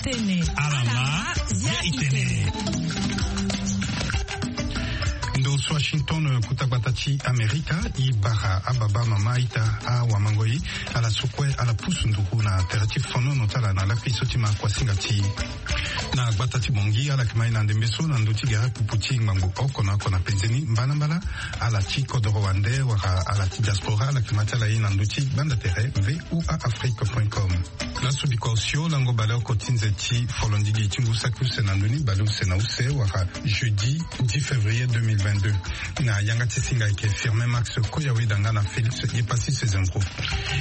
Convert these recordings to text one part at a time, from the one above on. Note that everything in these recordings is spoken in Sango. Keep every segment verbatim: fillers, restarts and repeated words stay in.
Tene. Alama, ya itene. Ndo so Washington, kuta gbata ti Amerika, i bara ababa mama ita awamangoi, ala so kue ala pusu nduru na tere ti fonono ti ala na lakui so ti ma kuasinga ti na gbata ti Bongi, ala yeke ma e na ndembe so na ndö ti gere pupu ti ngbangbo oko na oko na penzeni mbalambala, ala ti kodoro wande wala ala ti diaspora, ala yeke ma ti ala ye na ndö ti gbanda tere V O A Afrique point com. Laso bikua osio lango bale oko ti nze ti folondigi ti ngu saki use na ndö ni bale use na use wala jeudi dix février deux mille vingt-deux. Na yanga ti singa ayeke Firmin Max Koyaweda nga na Félix Yepassis Zembro.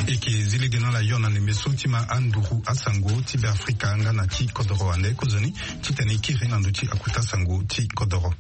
E yeke zi lege na ala yo na ndembe so ti ma anduru asango ti Beafrika nga na ti kodoro wande kozoni titene e kiri na ndö ti akuta sango ti kodoro.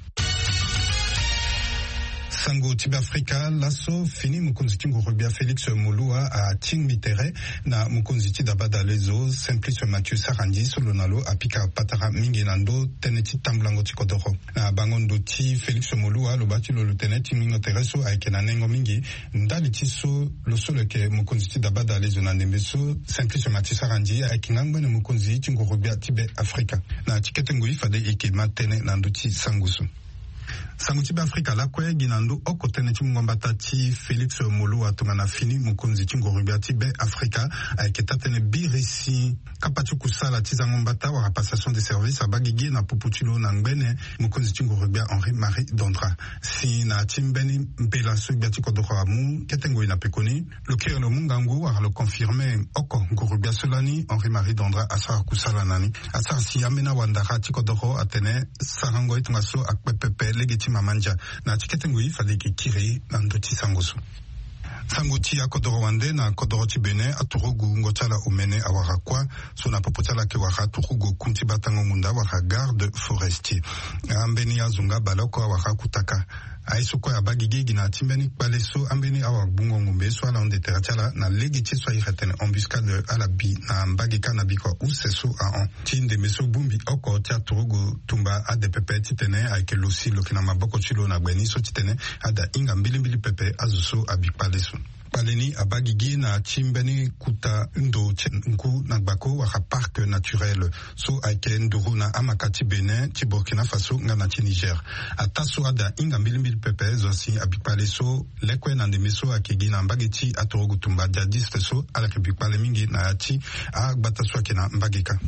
Sango ti Beafrika. Laso fini mokonzi ti nguru-gbia Félix Moloua atingbi tere na mokonzi ti dabadalezo Simplice Mathieu Sarandji so lo na lo apika patara mingi na ndö tënë ti tambulango ti kodoro. Na bango ndo ti Félix Moloua aloba ti lo lo tene tingbingo tere so ayeke na nengo mingi. Ndali ti so lo so lo yeke mokonzi ti dabadalezo na ndembe so, Simplice Mathieu Sarandji ayeke nga ngbene mokonzi ti nguru-gbia ti Beafrika. Na ti kete ngoi fade e yeke ma tënë na ndö ti sango so. Sango ti Beafrika lakue gi na ndö oko tënë ti mungo mbata ti Félix Moloua tongana fini mokonzi ti nguru-gbia ti Beafrika ayeke taa-tënë biri si kapa ti kusala ti zango mbata wala passation de service abaa gigi na popo ti lo na ngbene mokonzi ti nguru-gbia Henri Marie Dondra. Si na ya ti mbeni mbela so gbia ti kodoro amu kete ngoi na pekoni, lo kiri lo mu ngangu wala lo confirme oko nguru-gbia so lani Henri Marie Dondra asara kusala na ni. Asara si ambeni awandara ti kodoro atene sarango ye tongaso akpe pepe lege ti mama ndia. Na ya ti kete ngoi fade e yeke kiri na ndö ti sango so. Sango ti akodoro wande na kodoro ti Bénin, aturugu wungo ti ala omene awara kuâ. So na popo ti ala ayeke wara aturugu oku ti batango ngunda wala garde forestier. Ambeni azo nga baleoko awara akutaka. Aye so kue abaa gigi gi na ya ti mbeni kpale so ambeni awagbungo ngombe so ala hunde tere ti ala na lege ti ye so a iri atene embuscade ala bi na mbage kâ na bikua use so ahon. Ti ndembe so bongbi oko ti aturugu tumba ade pepe titene ayeke lo si lo yeke na maboko ti lo na gbe ni so titene ada hinga mbilimbili pepe azo so abi kpale so. Kpale ni abaa gigi na ya ti mbeni kuta ndo ti ngu na gbako wala parc naturel so ayeke nduru na amaka ti Bénin, ti Burkina Faso nga na ti Niger. Ataa so ada hinga mbilimbili pepe zo si abi kpale so lekue na ndembe so ayeke gi na mbage ti aturugu tumba djihadiste so ala yeke bi kpale mingi na ya ti agbata so ayeke na mbage kâ.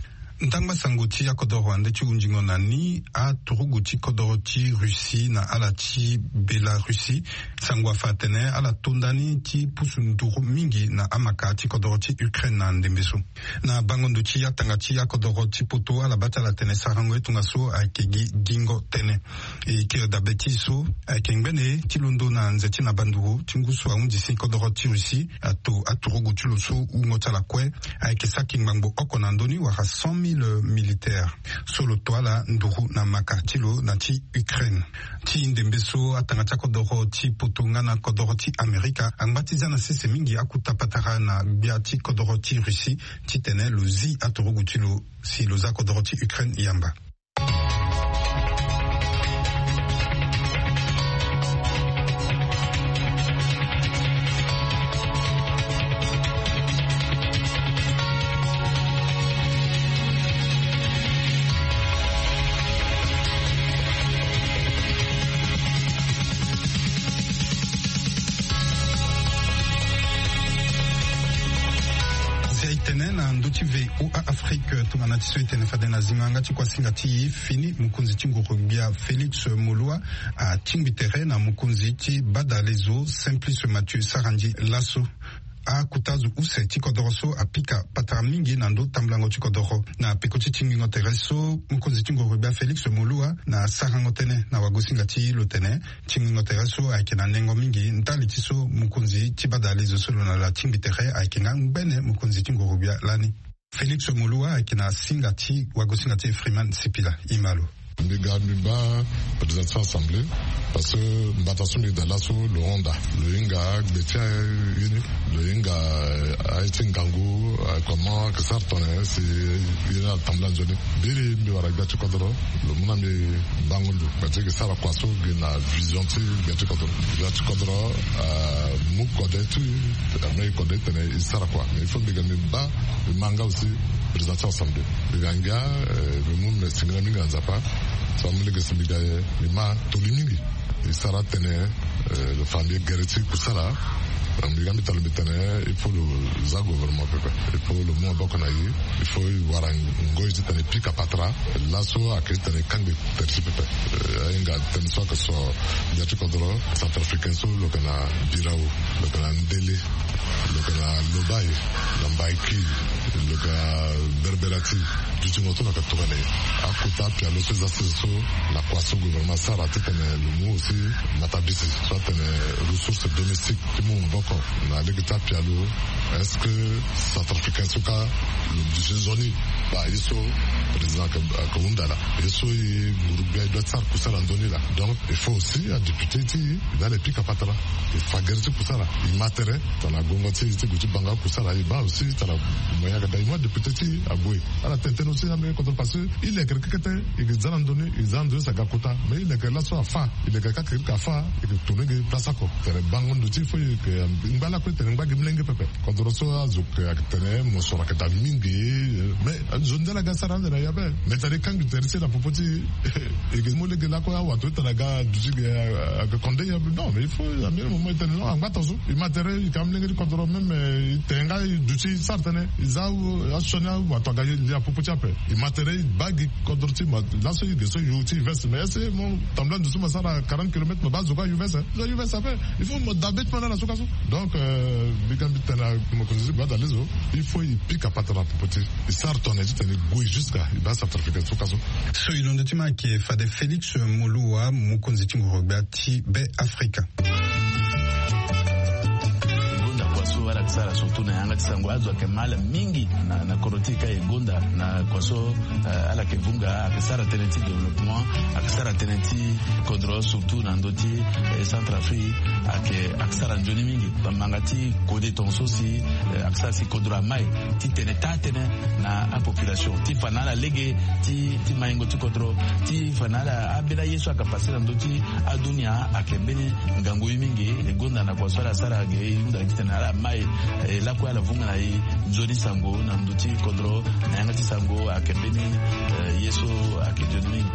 Ndangba sango ti akodoro wande ti hunzingo na ni, aturugu ti kodoro ti Russie na ala ti Belarussie, sango afa atene ala to ndani ti pusu nduru mingi na amaka ti kodoro ti Ukraine na ndembe so. Na bango ndo ti atanga ti akodoro ti poto, ala baa ti ala tene sarango ye tongaso ayeke gi gingo tënë. E kiri dabe ti so ayeke ngbene ti londo na nze ti na banduru ti ngu so ahunzi si kodoro ti Russie ato aturugu ti lo so wungo ti ala kue ayeke saki ngbangbo oko na ndö ni wala cent mille militaire so lo to ala nduru na maka ti lo na ti Ukraine. Ti ndembe so atanga ti akodoro ti poto nga na kodoro ti Amerika angba ti za na sese mingi akuta patara na gbia ti kodoro ti Russie titene lo zi aturugu ti lo si lo za kodoro ti Ukraine yamba. Nzia e tene na ndö ti V O A Afrique tongana ti so e tene fade na zingo yanga ti kuasinga ti e, fini mokonzi ti nguru-gbia Félix Moloua atingbi tere na mokonzi ti badalezo Simplice Mathieu Sarandji laso. Akuta azo use ti kodoro so apika patara mingi na ndö tambulango ti kodoro. Na peko ti tingbingo tere so, mokonzi ti nguru-gbia Félix Moloua na sarango tënë na wagosinga ti e lo tene tingbingo tere so ayeke na nengo mingi ndali ti so mokonzi ti badalezo so lo na lo atingbi tere ayeke nga ngbene mokonzi ti nguru-gbia lani. Félix Moloua ayeke na singa ti wagosinga ti e Freeman Sipila. E ma lo. Mbi ga mbi baa président ti assemblée, parce que mbata so mbi daa laso lo honda, lo hinga gbe ti aye ni, lo hinga, eh, aye ti ngangu, eh, comment que sara tongana si ye ni atambula nzoni. Biri mbi wara gbia ti kodoro, lo mu na mbi bango ndo. Mbi ti yeke sara kua so gi na vision ti gbia ti kodoro. Gbia ti kodoro, eh, mu kode ti, eh, me kode tene e sara kua. Mais il faut mbi ga mbi baa, mbi ma nga aussi, Nation assemblée. Mbi ga ngia, eh, mbi mu mbi singila mingi na Nzapa. So amu lege si mbi ga, eh, mbi ma toli mingi. E sara tënë, eh, lo fa mbi gere ti kusala. Donc mbi ga mbi talo mbi tene, il faut lo za gouvernement pepe. Il faut lo mu maboko na e. Il faut e wara ngoi titene e pika patara. Laso ayeke titene e kangbi tere ti pepe. Eh, ahinga tënë so ayeke so gbia ti kodro centrafricain so lo yeke na Birao, lo yeke na Ndele, lo yeke na Lobaye, na Mbaiki, lo yeke na Berberati. Dutingo so lo yeke tongana nyen? Akota apialo so e za sese so na kua so gouvernement asara titene lo mu aussi matabisi so atene ressource domestique ti mu maboko na lege ti apialo. Est-ce que centrafricain so ka lo duti nzoni? Ba ye so président ayeke, ayeke hunda laa. Ye so e nguru gbia e doit ti sara kusala nzoni laa. Donc il faut aussi adéputé ti e, e dala e pika patara. E fa gere ti kusala. E ma tere tongana gongo ti e ti gue ti banga kusala, e baa aussi tongana moyen ayeke daa, e mu adéputé ti e ague. Ala tene tënë aussi na mbeni kodro parce que e leke kekete, e ke za na ndoni, e za na ndoni si aga kota. Mais e leke laso afa, e leke kake e ke afa, e ke tourner ge place oko. Tere bango ndo ti e, faut e yeke ngba lakue tene ngba gi molenge pepe. Kodro so azo yeke tene mosoro ayeke daa mingi. Mais nzoni nde ala ga sara ande na e ape. Mais tene e kangbi tere ti e na popo ti e. E ke mu lege lakue awato ti tene aga duti ge, aga konde e ape. Non, mais il faut à un moment e tene non, angba tongaso. E ma tere, e yeke amolenge ti kodro même, eh, e tene nga e duti e sara tënë. E za asioni awato aga ye na popo ti e ape. E ma tere, e baa gi kodro ti e ma laso e ge so e yo ti e veste. Mais est-ce que mo tambula ndo so mo sara quarante kilomètres mo baa zo kue ayo veste, eh? Zo ayo veste ape. Il faut mo dabe ti mo na na so ka so. Donc, euh, mbi ga mbi tene na mokonzi ti gbata lezo, il faut e pika patara na popo ti e. E sara tongana nyen titene e gue jusqu'à e baa centrafricain so ka so. So e londo ti mo ayeke fade Félix Moluwa, mokonzi ti nguru gbia ti Be Afrika. E gonda kua so ala yeke sara surtout na yanga ti sango, azo ayeke ma ala mingi na, na kodro ti e ka. E gonda na kua so, eh, ala yeke vunga, ayeke sara tënë ti développement, ayeke sara tënë ti kodro surtout na ndö ti, eh, Centrafrique, ayeke, ayeke sara nzoni mingi. Manga ti kode tongaso si, eh, ayeke sara si kodro amai titene taa tënë na apopulation ti fa na ala lege ti, ti maingo ti kodro, ti fa na ala ambeni aye so ayeke passe na ndö ti adunia ayeke mbeni ngangu ye mingi. E gonda na kua so ala sara ge, e hunda titene ala mai, eh, lakue ala vunga na e nzoni sango na ndö ti kodro, na yanga ti sango ayeke mbeni, eh, ye so ayeke nzoni mingi.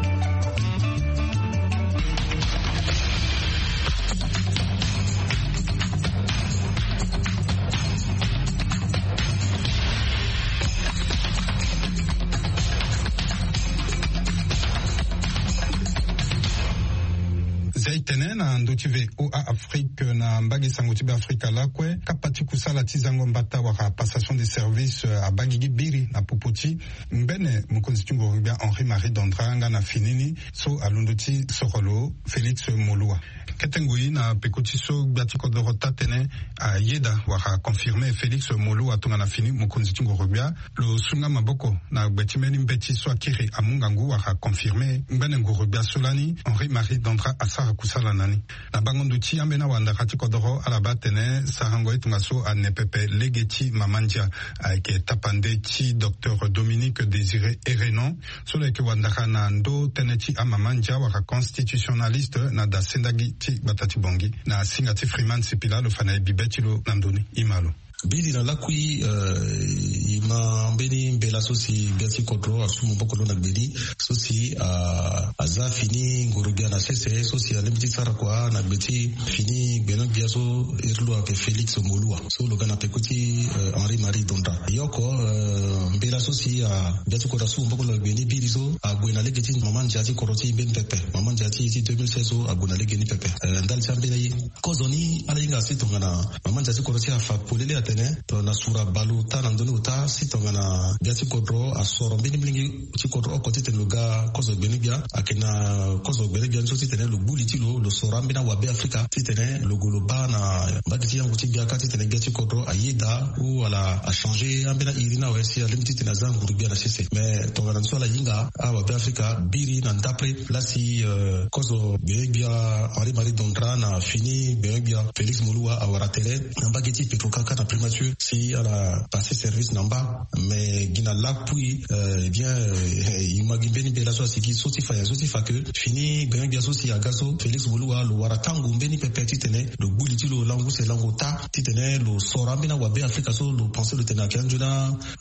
Zia e tene na ndö ti V O A Afrique na mbage sango ti Be Afrika lakue, kapa ti kusala ti zango mbata wala passation de service, eh, abaa gigi biri na popo ti ngbene mokonzi ti nguru gbia Henri Marie Dondra nga na fini ni so alondo ti soro lo Félix Moluwa. Kete ngoi na peko ti so gbia ti kodoro taa tënë ayeda wala confirmer Félix Moluwa tongana fini mokonzi ti nguru gbia, lo sunga maboko na gbe ti mbeni mbeti so akiri amu ngangu wala confirmer ngbene nguru gbia so lani Henri Marie Dondra asara kusala na ni. Na bango ndo ti ambeni awandara ti kodoro, ala baa atene sarango ye tongaso ane pepe lege ti mama ndia ayeke tapande ti docteur Dominique Désiré Erenon, so lo yeke wandara na ndö tënë ti amama ndia wala constitutionnaliste na da sendagi ti gbata ti Bangui. Na singa ti Freeman Sipila lo fa na e bibe ti lo na ndö ni. E ma lo. Biri na lakui, eh, e ma mbeni mbela so si gbia ti kodro asu maboko lo na gbe ni, so si, ah, aza fini nguru gbia na sese, so si alingbi ti sara kua na gbe ti fini gbeno gbia so iri lo ayeke Félix Moluwa, so lo ga na peko ti, eh, Henri Marie Dondra. E oko, eh, mbela so si, ah, gbia ti kodro asu maboko lo na gbe ni biri so ague na lege ti mama ndia ti kodro ti e mbeni pepe. Mama ndia ti e ti deux mille seize so ague na lege ni pepe. Eh, ndali ti ambeni aye. Kozo ni ala hinga si tongana mama ndia ti kodro ti e afa polele atene tongana sura bale ota na ndö ni ota, si tongana gbia ti kodro asoro mbeni molenge ti kodro oko titene lo ga kozo gbene gbia, ayeke na kozo gbene gbia ni so titene lo gbu li ti lo, lo soro ambeni awabe Afrika titene lo gue lo baa na mbage ti yango ti gbia kâ titene gbia ti kodro ayeda ou ala achanger ambeni airi ni awe si alingbi titene aza nguru gbia na sese. Mais tongana ni so ala hinga awabe Afrika biri na ndapre laa si, euh, kozo gbene gbia Henri Marie Dondra na fini gbene gbia Félix Moluwa awara tere na mbage ti Petro-Kaka na primature si ala passer service na mba. Mais gi na lakui, euh, eh bien, euh, e ma gi mbeni mbela so asigi so ti fa nyen, so ti Fa ke fini gbengbe gbia so si aga so Félix Moluwa lo wara tango mbeni pepe titene lo gbu li ti lo langu se lango ota titene lo soro ambeni awabe Afrika so lo pense lo tene ayeke anzoni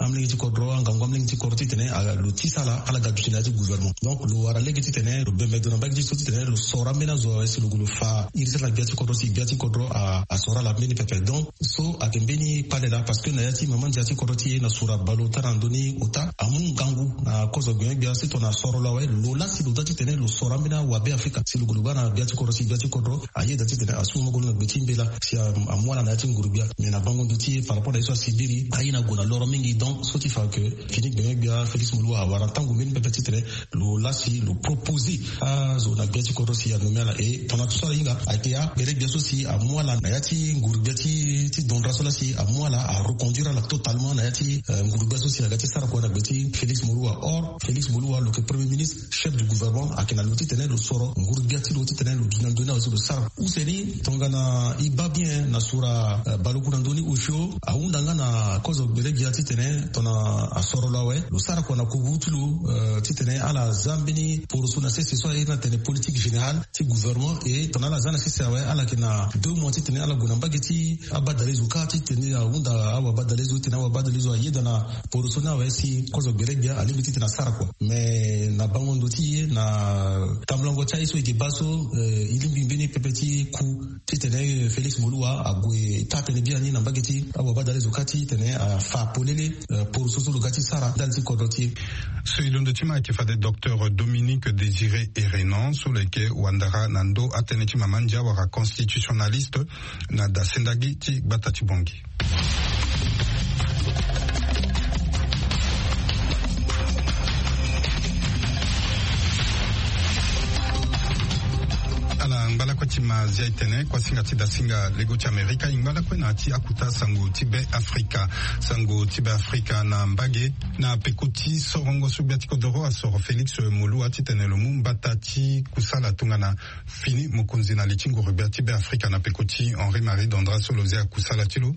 amolenge ti kodro, angangu amolenge ti kodro titene lo tisa ala ala ga duti na ya ti gouvernement. Donc lo wara lege titene lo bembe ndo na mbage ti so titene lo soro ambeni azo awe si lo gue lo fa iri ti ala na gbia ti kodro si gbia ti kodro asoro ala mbeni pepe. Donc so ayeke mbeni kpale laa parce que na ya ti mama ndia ti kodro ti e na sura baleota na ndoni ota amu ngangu na kozo gbengbe gbia si tongana asoro lo awe lo laa si lo dua titene lo soro ambeni awabe Afrika si lo gue lo baa na gbia ti kodro si gbia ti kodro ayeda titene asu moko lo na gbe ti mbela si amu ala na ya ti nguru gbia. Mais na bango ndo ti e par rapport na ye so asibiri aye na gue na loro mingi. Donc so ti fa ke fini gbengbe gbia Félix Moluwa awara tango mbeni pepe titene lo laa si lo proposer azo na gbia ti kodro si anommé ala. E tongana tout so ala hinga ayeke ya gbele gbia so si amu ala na ya ti nguru gbia ti ti dondra so laa si amu ala areconduire ala totalement na ya ti nguru gbia so si aga ti sara kua na gbe ti Félix Moluwa. Or Félix Moluwa lo yeke premier ministre, chef du gouvernement, ayeke na lo titene lo soro nguru gbia ti lo titene lo dunia ndoni awe so lo sara use ni. Tongana e baa bien na sura baleoku na ndoni osio ahunda nga na kozo gbele gbia titene tongana asoro lo awe lo sara kua na kubu ti lo titene ala za mbeni poroso na sese so aye na tene politique générale ti gouvernement. E tongana ala za na sese awe ala yeke na deux mois titene ala gue na mbage ti abadalezo kâ titene ahunda awabadalezo titene awabadalezo ayeda na poroso ni awe si kozo gbele gbia alingbi titene asara kua. Mais na bango ndo ti e na tambulango ti aye so e yeke baa so e lingbi mbeni pepe ti ku titene Félix Moluwa ague taa tënë biani na mbage ti awabadalezo kâ titene afa polele poroso so lo ga ti sara ndali ti kodro ti e. So e londo ti ma ayeke fade Docteur Dominique Désiré Erenan so lo yeke wandara na ndö atënë ti mama ndia wala constitutionnaliste na dasendagi ti gbata ti Bangui. Ala ngbalakue ti ma zia e tene kuasinga ti dasinga lego ti Amerika e ngbalakue na ya ti akuta sango ti Be Afrika. Sango ti Be Afrika na mbage na peko ti sorongo so gbia ti kodoro asoro Félix Moluwa titene lo mu mbata ti kusala tongana fini mokonzi na li ti nguru gbia ti Be Afrika na peko ti Henri Marie Dondra so lo zia kusala ti lo.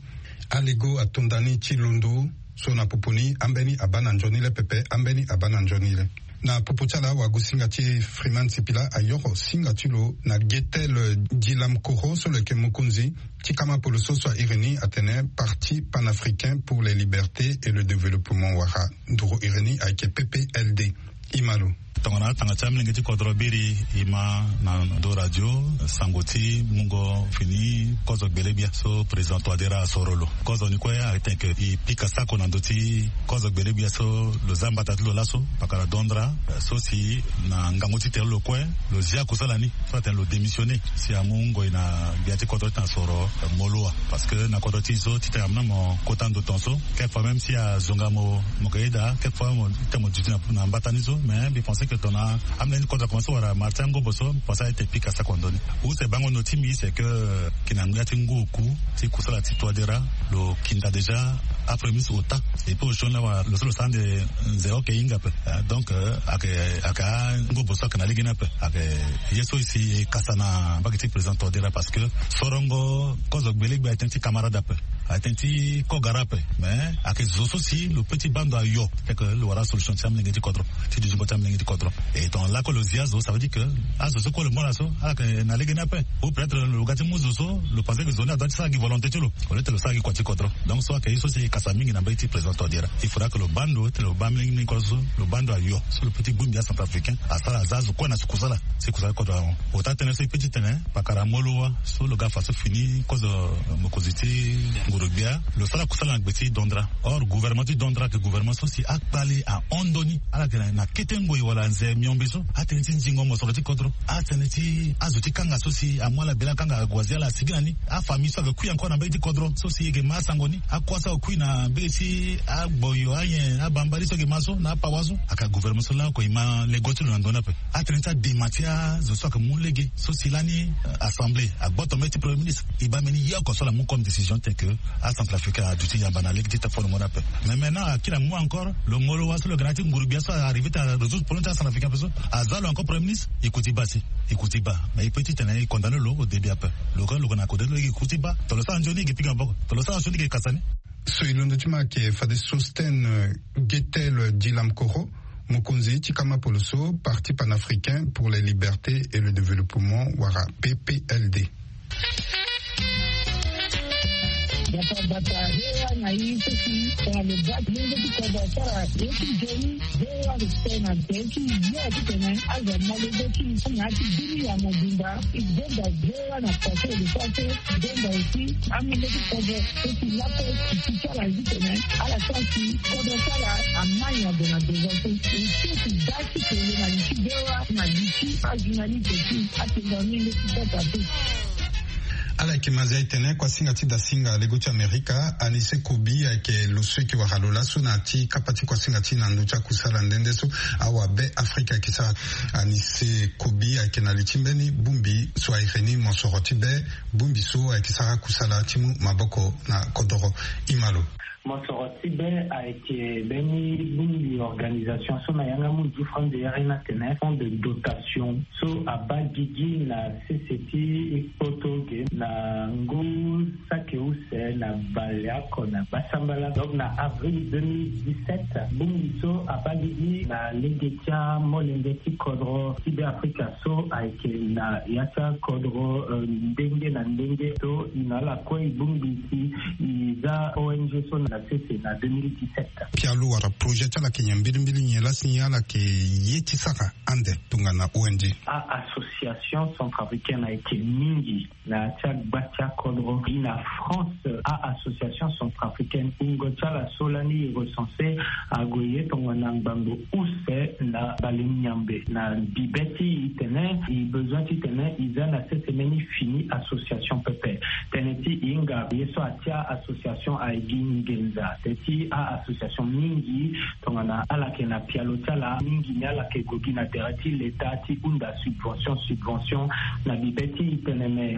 Alego atonda ni ti londo so na popo ni ambeni abaa na nzoni le pepe ambeni abaa na nzoni le. Na popo ti ala wagosinga ti Freeman Sipila ayoro singa ti lo na Getel Dilam Koro so lo yeke mokonzi ti kama polo so so a iri ni atene Parti Panafricain pour les Libertés et le Développement wala nduru iri ni ayeke P P L D. E ma lo. Tongana atanga ti amolenge ti kodro biri e ma na ndo radio sango ti mungo fini kozo gbele gbia so président Touadéra asoro lo. Kozo ni kue ayeke tene ke e pika sako na ndö ti kozo gbele gbia so lo za mbata ti lo laso pakara Dondra so si na ngangu ti tene lo kue lo zia kusala ni so atene lo démissionner si amu ngoi na gbia ti kodro ti tene asoro Moloa. Parce que na kodro ti e so titene amu na mo kota ndo tongaso, quelquefois même si azonga mo mo ke yeda, quelquefois mo ita mo duti na mbata ni so. Mais mbi pense que tongana amolenge ti kodro akomanse wara marti angobo so, mbi pense ayeke pika sako na ndö ni. Use bango ndo ti mbi c'est que, yeke na ngia ti ngu oku ti kusala ti Touadéra lo kinda déjà apromis ota. Et puis osio ni awa lo so lo sara nde nze oke hinga ape. Donc ayeke ayeke angobo so ayeke na lege ni ape. Ayeke ye so e si e kasa na mbage ti président Touadéra parce que sorongo kozo gbele gbia aye tënë ti camarade ape, aye tënë ti kogara ape. Mais ayeke zo so si lo peut ti baa ndo ayo, fait que lo wara solution ti amolenge ti kodro, ti dutingo ti amolenge ti kodro. Et tongana lakue lo zi azo, ça veut dire que azo so kue lo mu ala so ala yeke na lege ni ape. Ou peut-être lo ga ti mu zo so lo pense que zo ni adoit ti sara gi volonté ti lo au lieu ti lo sara gi kua ti kodro. Donc so ayeke ye so si e kasa mingi na mbage ti président Touadéra. Il faudra que lo baa ndo ti lo baa amolenge ni kodro so lo baa ndo ayo so lo peut ti bongbi acentrafricain asara aza azo kue na si kusala, si kusala kodro ahon. Ota tënë so e peut ti tene pakara Moloa so lo ga fa so fini kozo mokonzi ti nguru gbia lo sara kusala na gbe ti Dondra. Or gouvernement ti Dondra ayeke gouvernement so si akpale ahon ndo ni. Ala yeke na kete ngoi wala nze miombe so atënë ti nzingo mosoro ti kodro, atënë ti azo ti kanga so si amu ala bela akanga ague azi ala asigi na ni, afamille so ayeke kui encore na mbage ti kodro so si e yeke ma asango ni, akua so ayeke kui na mbage ti agboyo, anyen, abambari so ayeke ma so na apawa so. Ayeke gouvernement so laoko e ma lego ti lo na ndö ni ape. Atënë ti adema ti azo so ayeke mu lege so si lani assemblée agboto mbeni ti premier ministre e baa mbeni ye oko so ala mu comme décision tene ke acentrafricain aduti yamba na lege ti tafongo ni ape. Mais maintenant akiri amu encore lo Moloa so lo yeke na ya ti nguru gbia so arrivé ti arésoudre problème ti acentrafricain ape so, aza lo encore premier ministre, e kuti baa si, e kuti baa. Mais e peut ti tene e condamné lo au début ape. Lo kue lo yeke na kodro ti lo e kuti baa. Tongana lo sara nzoni e yeke pika maboko, tongana lo sara nzoni e yeke kasa ni. So e londo ti ma ayeke fade Sosthène Guettel Dilam Koro, Mokonzi ti kama poloso, Parti Panafricain pour les Libertés et le Développement, wala P P L D. Bata bata hewa na i seki tongana lo bati lenge ti kodo asara yo ti joni. Hewa lo tena teki ya ti tene aza malo zo ti na ti bini ya mobimba. I zonda hewa na pase lo pase. Zonda aussi amenge ti kodo seki lape ti ti ti ala zi tene ala sara si kodo ti ala amai ado na deza so. E seki da ti kele na li ti hewa na li ti ajournaliste ti atenda amenge ti kota so. Ala yeke ma zia e tene kuasinga ti dasinga lego ti Amerika, Anise Kobi ayeke lo so e yeke wara lo laso na ya ti kapa ti kuasinga ti na ndö ti akusala nde nde so awabe Afrika ayeke sara. Anise Kobi ayeke na li ti mbeni bongbi so a iri ni mosoro ti be, bongbi so ayeke sara kusala ti mu maboko na kodoro. Ima lo. Mosoro ti be ayeke mbeni bongbi organisation so na yanga munzu ti France e iri ni atene fonds de dotation so abaa gigi na sese ti kpoto ge na ngu saki use na baleoko na gbasambala. Donc na avril deux mille dix-sept, bongbi so abaa gigi na lege ti amolenge ti kodro ti be Afrika so ayeke na ya ti akodro, euh, ndenge na ndenge so e na ala kue e bongbi si e za O N G so na sese na deux mille dix-sept. Pialo wala projet ti ala ayeke nyen mbilimbili, nyen lasi nyen ala yeke ye ti sara ande tongana O N G? A-association centrafricaine ayeke mingi na ya ti agba ti akodro. Gi na France, a-association centrafricaine, wungo ti ala so lani e recense ague ye tongana ngbangbo use na bale nyambe. Na bibe ti e tene e besoin ti tene e za na sese mbeni fini association pepe. Tënë ti e hinga ye so atia association ayeke gi nginza. Tënë ti a-association mingi tongana ala yeke na pialo ti ala mingi ni ala yeke gue gi na tere ti leta ti hunda subvention, subvention na bibe ti e tene me.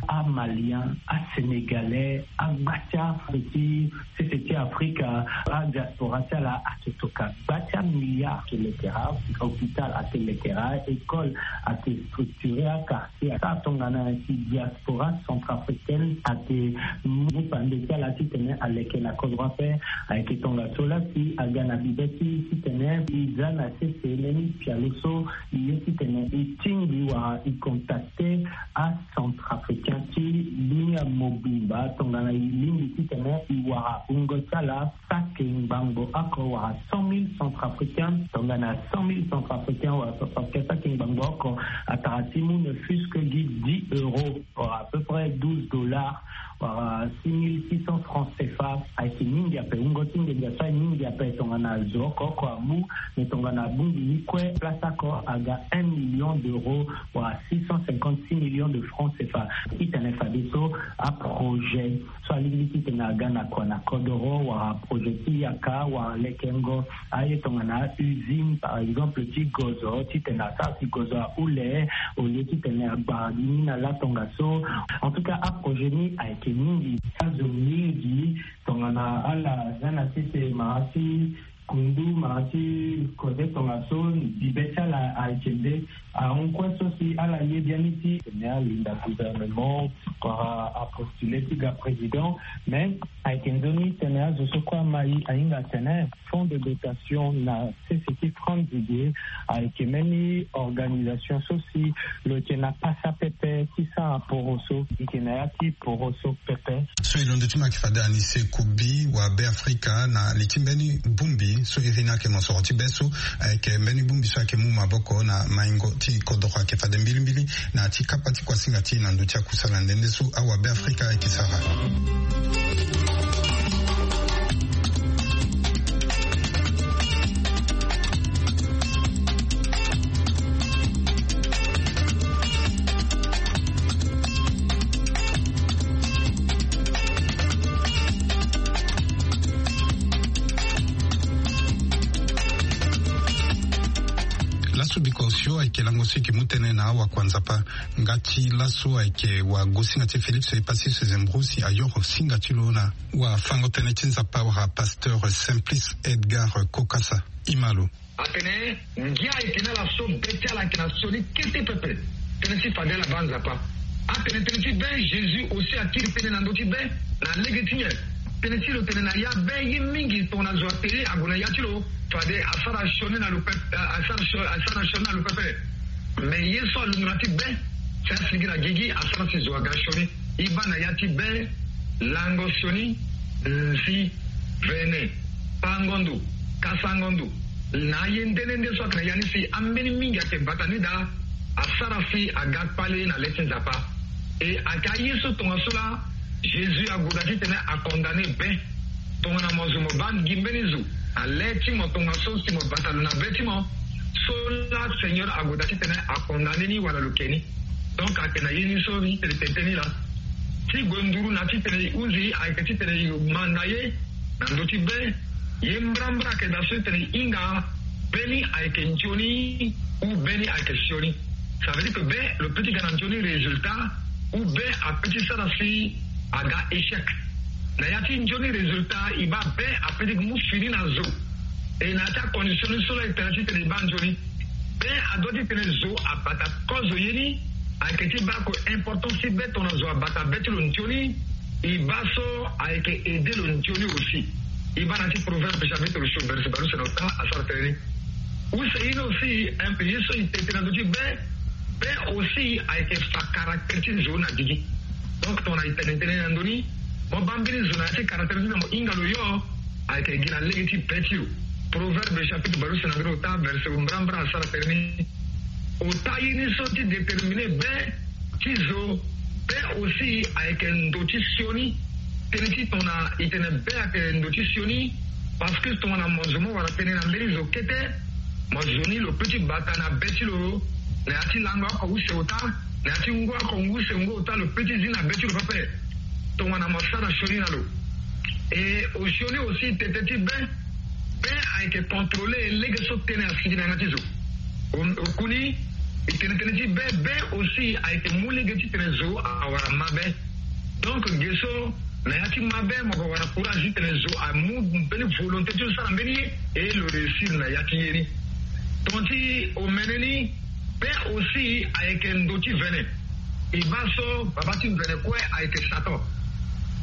Amalien, asénégalais, agba ti ape ti sese ti Afrika, adiaspora ti ala ayeke toka gba ti amilliard. Ayeke lekera hôpital, ayeke lekera école, ayeke structurer aquartier. Asara tongana si diaspora centrafricaine ayeke mu pande ti ala titene aleke na kodro ape. Ayeke tongaso lasi aga na bibe ti titene e za na sese mbeni pialo so e ye titene e tingbi wala e contacter acentrafricain ti dunia mobimba tongana e lingbi titene e wara wungo ti ala saki ngbangbo oko wala cent mille centrafricains. Tongana cent mille centrafricains wala centrafricains saki ngbangbo oko, atara ti mu ne fût-ce que gi dix euros, wala à peu près douze dollars, wala six mille six cents francs C F A. Ayeke mingi ape, wungo ti nginza so ayeke mingi ape. Tongana zo oko oko amu, me tongana abongbi ni kue, place oko aga un million d'euros, wala six cent cinquante-six millions de francs C F A. Titene fadeso aprojet so alingbi titene aga na kua na kodoro, wala projet ti yaka, wala lekengo aye tongana usine, par exemple, ti gozo, titene asara si gozo ahule, au lieu titene agbara gi ni na la tongaso. En tout cas, aprojet ni ayeke mingi. Azo mingi tongana ala za na sese mara ti kundu, mara ti kode tongaso, bibe ti ala ayeke nde ahon kue so si ala ye biani ti tene alinda gouvernement, wala apostule ti ga président. Mais ayeke nzoni tene azo so kue ama e ahinga atene fonds de dotation na sese ti France ge ayeke mbeni organisation so si lo yeke na pasa pepe ti sara poroso, e yeke na ya ti poroso pepe. So e londo ti ma ayeke fade Anise Kobi, wabe Afrika, na li ti mbeni bongbi so iri ni ayeke mosoro ti be so ayeke mbeni bongbi so ayeke mu maboko na maingo ti kodoro ayeke fade mbilimbili na ya ti kapa ti kuasinga ti e na ndö ti akusala nde nde so awabe Afrika ayeke sara. Laso biko osio ayeke lango so e yeke mu tënë na awakua Nzapa. Nga ti laso ayeke wagosinga ti e Félix Epacius Zembro si ayoro singa ti lo na wafango tënë ti Nzapa wala pasteur Simplice Edgar Kokasa. Ima lo. Atene ngia ayeke na ala so be ti ala ayeke na sioni kete pepe. Tënë ti fade ala baa Nzapa. Atene tënë ti be, Jésus aussi akiri tënë na ndö ti be. Na lege ti nyen? Tënë ti lo tene na ya be ye mingi tongana zo atene ague na ya ti lo. Fade asara sioni na lo pepe. Asara sioni na lo pepe. Mais ye so alungu na ti be si asigi na gigi asara si zo aga sioni. E baa na ya ti be lango sioni, nzi, vene, pango ndo, kasango ndo, na aye nde nde nde so ayeke na ya ni si ambeni mingi ayeke bata ni daa. Asara si aga kpale na le ti Nzapa. E ayeke aye so tongaso laa Jésus ague daa titene akondane be. Tongana mo zo mo baa gi mbeni zo na le ti mo tongaso si mo bata lo na be ti mo, so laa Seigneur ague daa titene akondane ni wala lo ke ni. Donc ayeke na ye ni so i tene tene tënë ni laa. Ti gue nduru na titene i hunzi ayeke titene i manda ye na ndö ti be. Ye mbrambra ayeke daa so i tene i hinga be ni ayeke nzoni ou be ni ayeke sioni. Ça veut dire que be lo peut ti ga na nzoni résultat ou be apeut ti sara si aga échec. Na ya ti nzoni résultat e baa be apeut ti mu fini na zo. E na ya ti acondition ni so laa e tene titene e baa nzoni. Be adoit titene zo abata kozo ye ni. Ayeke ti baa ko importance ti be tongana zo abata be ti lo nzoni. E baa so ayeke aide lo nzoni aussi. E baa na ti Proverbe chapitre sio verset baleuse na ota asara tënë ni. Use ye ni aussi un peu ye so e tene tene na ndö ti be. Be aussi ayeke fa caractère ti zo na gigi. Donc tongana e tene tënë na ndö ni, mo baa mbeni zo na ya ti caractère ti na mo hinga lo yo. Ayeke gi na lege ti be ti lo. Proverbe chapitre baleuse na ndö ni ota verset mbrambra asara tënë ni. Ota ye ni so ti déterminer be ti zo. Be aussi ayeke ndo ti sioni. Tënë ti tongana e tene be ayeke ndo ti sioni. Parce que tongana mo zo mo wara tënë na mbeni zo kete, mo zo ni lo peut ti bata na be ti lo. Na ya ti lango oko use ota, na ya ti ngu oko ngu use ngu ota lo peut ti zi na be ti lo pepe. Tongana mo sara sioni na lo. E osioni aussi tete ti be. Be ayeke contrôler lege so tënë asigi na yanga ti zo. Okuni e tene tënë ti be be aussi ayeke mu lege ti tene zo awara mabe. Donc ge so na ya ti mabe mo ga wara courage ti tene zo amu mbeni volonté ti lo sara mbeni ye. E lo réussir na ya ti ye ni. Ton ti omene ni. Be aussi ayeke ndo ti vene. E baa so baba ti mvene kue ayeke Satan.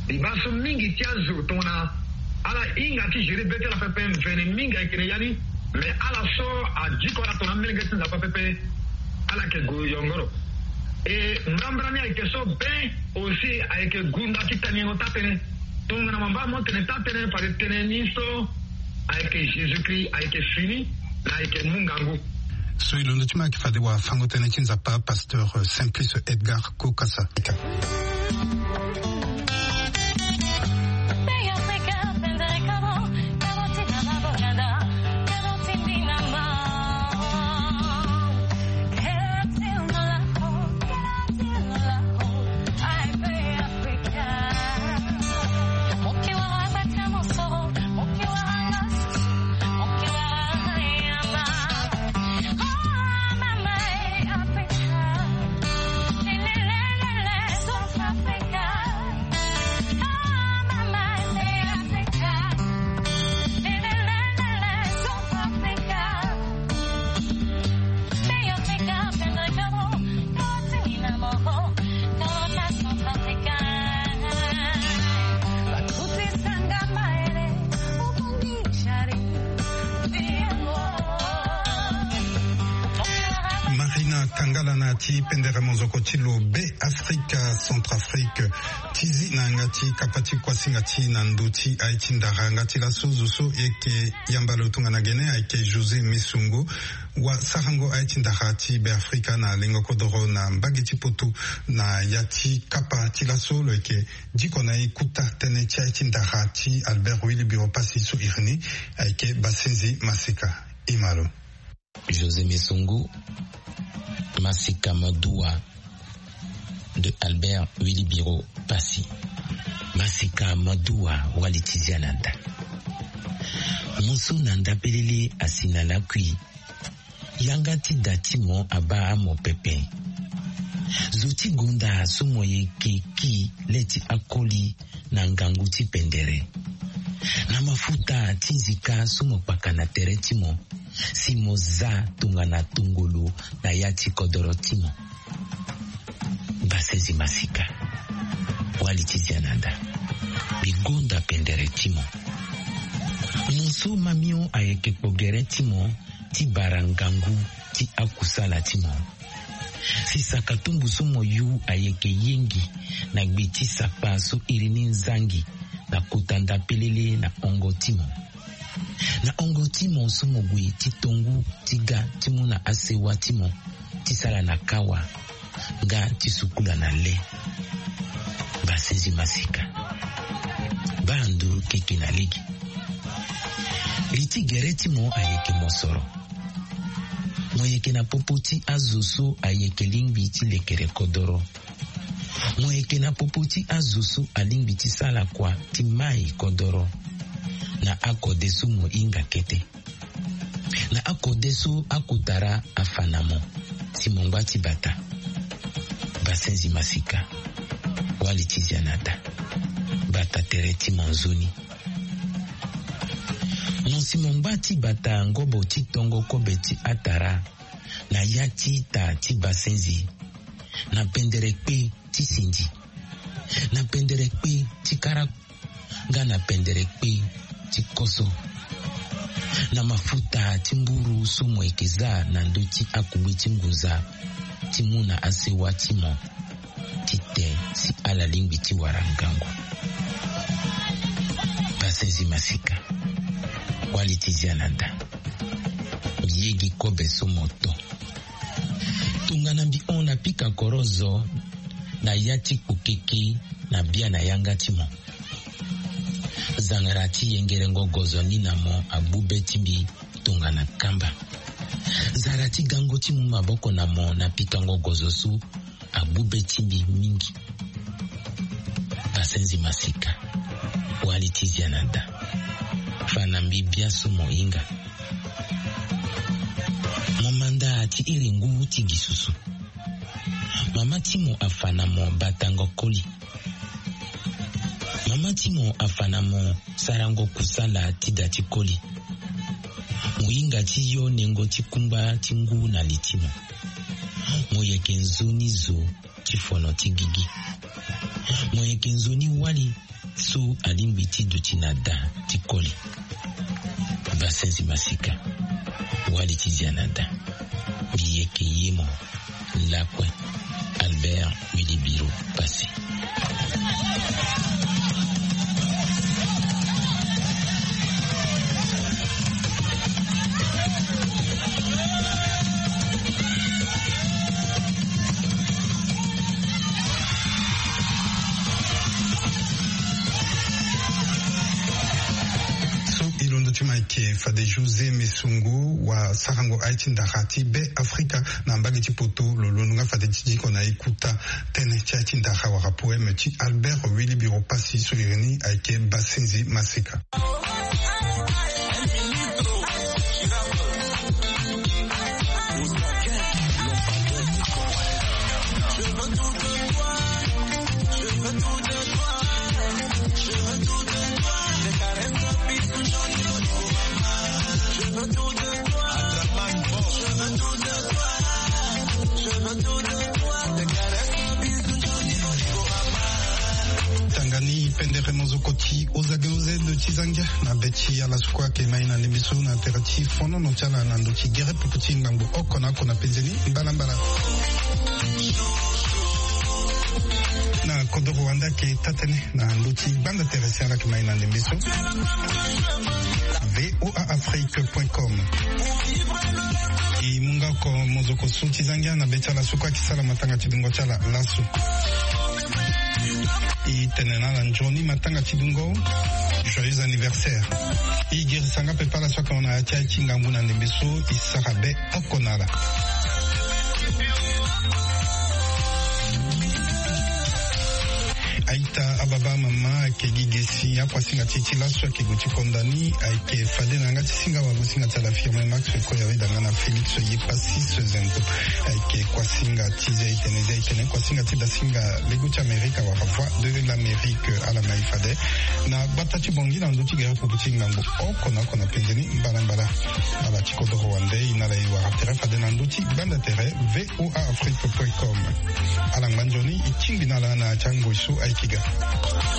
E baa so mingi ti azo tongana ala hinga ti gérer be ti ala pepe mvene mingi ayeke na ya ni. Mais ala so adiko ala tongana amelenge ti Nzapa pepe, ala yeke gue yongoro. E mbrambra ni ayeke so be aussi ayeke gunda ti taniengo taa-tënë. Tongana mo baa mo tene taa-tënë fade tënë ni so ayeke Jésus-Christ ayeke fini na ayeke mu ngangu. So e londo ti mo ayeke fade wafango-tënë ti Nzapa pasteur Simplice Edgar Kokasa. Marina Kangala na ti pendere mozoko ti lo Be Afrika, Centrafrique, ti zi na yanga ti kapa ti kuasinga ti na ndö ti aye ti ndara. Yanga ti laso zo so e yeke yamba lo tongana gene ayeke José Mesongo, wasarango aye ti ndara ti Be Afrika na lengo kodoro na mbage ti poto. Na ya ti kapa ti laso lo yeke diko na e kuta tënë ti aye ti ndara ti Albert Willy Biro Passy so iri ni ayeke Basenzi Masika. E ma lo. José Mesongo, Masika Madua de Albert Willy Biro Passy. Masika Madua, wali ti zia na nda. Mo so na nda pelele asi na lakui. Yanga ti da ti mo abaa mo pepe. Zo ti gonda so mo yeke ki le ti akoli na ngangu ti pendere. Na mafuta ti nzika so mo kpaka na tere ti mo, si mo za tongana tongolo na ya ti kodoro ti mo. Basezi masika. Wali ti zia na da. Mbi gonda pendere ti mo. Mo so mamio ayeke kpo gere ti mo ti bara ngangu ti akusala ti mo. Si saka tumbu so mo yu ayeke yengi na gbe ti sakpa so iri ni nzangi na kota nda pelele na hongo ti mo. Na hongo ti mo so mo gue ti tongu ti ga ti mu na asewa ti mo ti sala na kawa nga ti sukula na le. Basenzi masika. Baa nduru keke na lege. Li ti gere ti mo ayeke mosoro. Mo yeke na popo ti azo so ayeke lingbi ti lekere kodoro. Mo yeke na popo ti azo so alingbi ti sala kua ti mai kodoro. Na akode so mo hinga kete. Na akode so akotara afa na mo. Si mo ngba ti bata. Basenzi masika. Wali ti zia na da. Bata tere ti mo nzoni. Mo si mo ngba ti bata ngobo ti tongo kobe ti atara. Na ya ti ita ti basenzi. Na pendere kpe ti sindi. Na pendere kpe ti kara. Nga na pendere kpe ti koso. Na mafuta ti mburu so mo yeke za na ndö ti akugbe ti ngunza ti mu na asewa ti mo. Ti te si ala lingbi ti wara ngangu. Basenzi masika. Wali ti zia na da. Mbi yegi kobe so mo to. Tongana mbi hon na pika korozo na ya ti kpokeke na bia na yanga ti mo. Zangara ti yengerengo gozo ni na mo agbu be ti mbi tongana kamba. Zara ti gango ti mu maboko na mo na pikango gozo so agbu be ti mbi mingi. Basenzi masika. Wali ti zia na da. Fa na mbi biaso mo hinga. Mo manda ti iri ngu ti gi susu. Mama ti mo afa na mo batango koli. Mama ti mo afa na mo sarango kusala ti da ti koli. Mo hinga ti yo nengo ti kungba ti ngu na li ti mo. Mo yeke nzoni zo ti fono ti gigi. Mo yeke nzoni wali so alingbi ti duti na da ti koli. Basenzi masika. Wali ti zia na da. Mbi yeke ye mo. Lakue. Albert Wilibiro Passy. So e londo ti mo ayeke fade José Mesongo, wasarango aye ti ndara ti Be Afrika na mbage ti poto. Lo londo nga fade ti diko na e kota tënë ti aye ti ndara wala poème ti Albert Wilibiro Passy so iri ni ayeke Basenzi masika. Tanga ni pendere mozoko ti ozage oze ndo ti zangia na be ti ala so kue ayeke mai na ndembe so na tere ti fonono ti ala na ndo ti gere pupu ti ngangu oko na oko na penze ni mbalambala. Na kodoro wande ayeke taa-tënë na ndo ti gbanda tere si ala yeke mai na ndembe so. V O A Afrique point com. E mu nga oko mozoko so ti zangia na be ti ala so kue ayeke sara matanga ti dungo ti ala laso. E tene na ala nzoni matanga ti dungo. Joyeux anniversaire. E girisa nga pepe ala so ayeke hon na ya ti aye ti ngangu na ndembe so e sara be oko na ala. Aita, ababa, amama, ayeke gi ge si akuasinga ti e ti laso ayeke gue ti konda ni, ayeke fade na yanga ti singa wagosinga ti ala Firmin Max Koya, weda nga na Félix Yepassis Zengo. Ayeke kuasinga ti Zia-Itene, Zia-Itene, kuasinga ti dasinga lego ti Amerika wala Voix de l'Amérique, ala mai fade na gbata ti Bangui na ndö ti gere pupu ti ngangu oko na oko na penze ni mbalambala. Ala ti kodoro wande e na ala e wara tere fade na ndö ti gbanda tere V O A Afrique point com. Ala ngba nzoni e tingbi na ala na ya ti angoi so ayeke Afrika.